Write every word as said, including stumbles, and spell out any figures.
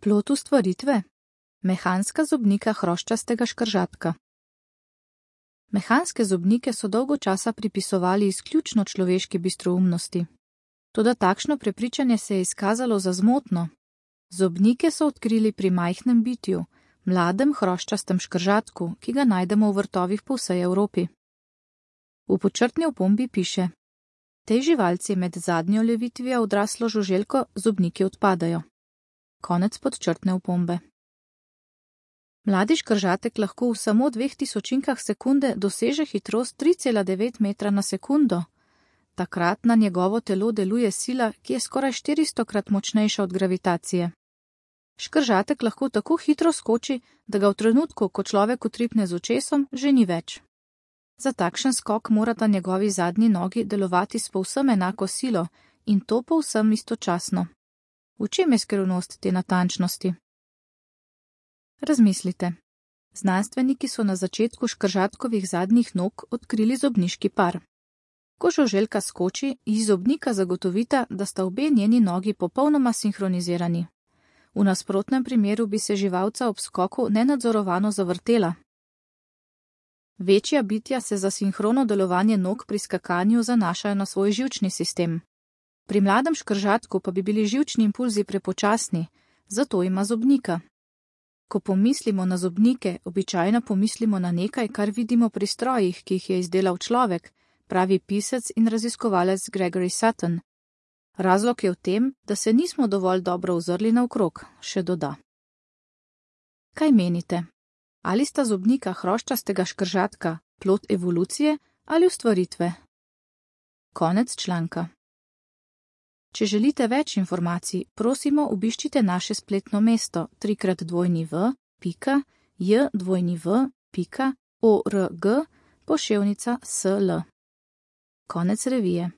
Plod ustvaritve? Mehanska zobnika hroščastega škržatka. Mehanske zobnike so dolgo časa pripisovali izključno človeški bistroumnosti. Toda takšno prepričanje se je izkazalo za zmotno. Zobnike so odkrili pri majhnem bitju, mladem hroščastem škržatku, ki ga najdemo v vrtovih po vsej Evropi. V podčrtni opombi piše: tej živalci med zadnjo levitvijo odraslo žuželko zobniki odpadajo. Konec podčrtne opombe. Mladi škržatek lahko v samo dveh tisočinkah sekunde doseže hitrost tri cela devet metra na sekundo. Takrat na njegovo telo deluje sila, ki je skoraj štiristokrat močnejša od gravitacije. Škržatek lahko tako hitro skoči, da ga v trenutku, ko človek utripne z očesom, že ni več. Za takšen skok morata njegovi zadnji nogi delovati s povsem enako silo in to povsem istočasno. V čem je skrivnost te natančnosti? Razmislite. Znanstveniki so na začetku škržatkovih zadnjih nog odkrili zobniški par. Ko žuželka skoči, iz zobnika zagotovita, da sta obe njeni nogi popolnoma sinhronizirani. V nasprotnem primeru bi se živalca ob skoku nenadzorovano zavrtela. Večja bitja se za sinhrono delovanje nog pri skakanju zanašajo na svoj živčni sistem. Pri mladem škržatku pa bi bili živčni impulzi prepočasni, zato ima zobnika. Ko pomislimo na zobnike, običajno pomislimo na nekaj, kar vidimo pri strojih, ki jih je izdelal človek, pravi pisec in raziskovalec Gregory Sutton. Razlog je v tem, da se nismo dovolj dobro ozrli naokrog, še doda. Kaj menite? Ali sta zobnika hroščastega škržatka plod evolucije ali ustvaritve? Konec članka. Če želite več informacij, prosimo obiščite naše spletno mesto trikrat dvojni v pika j dvojni v pika org poševnica sl. Konec revije.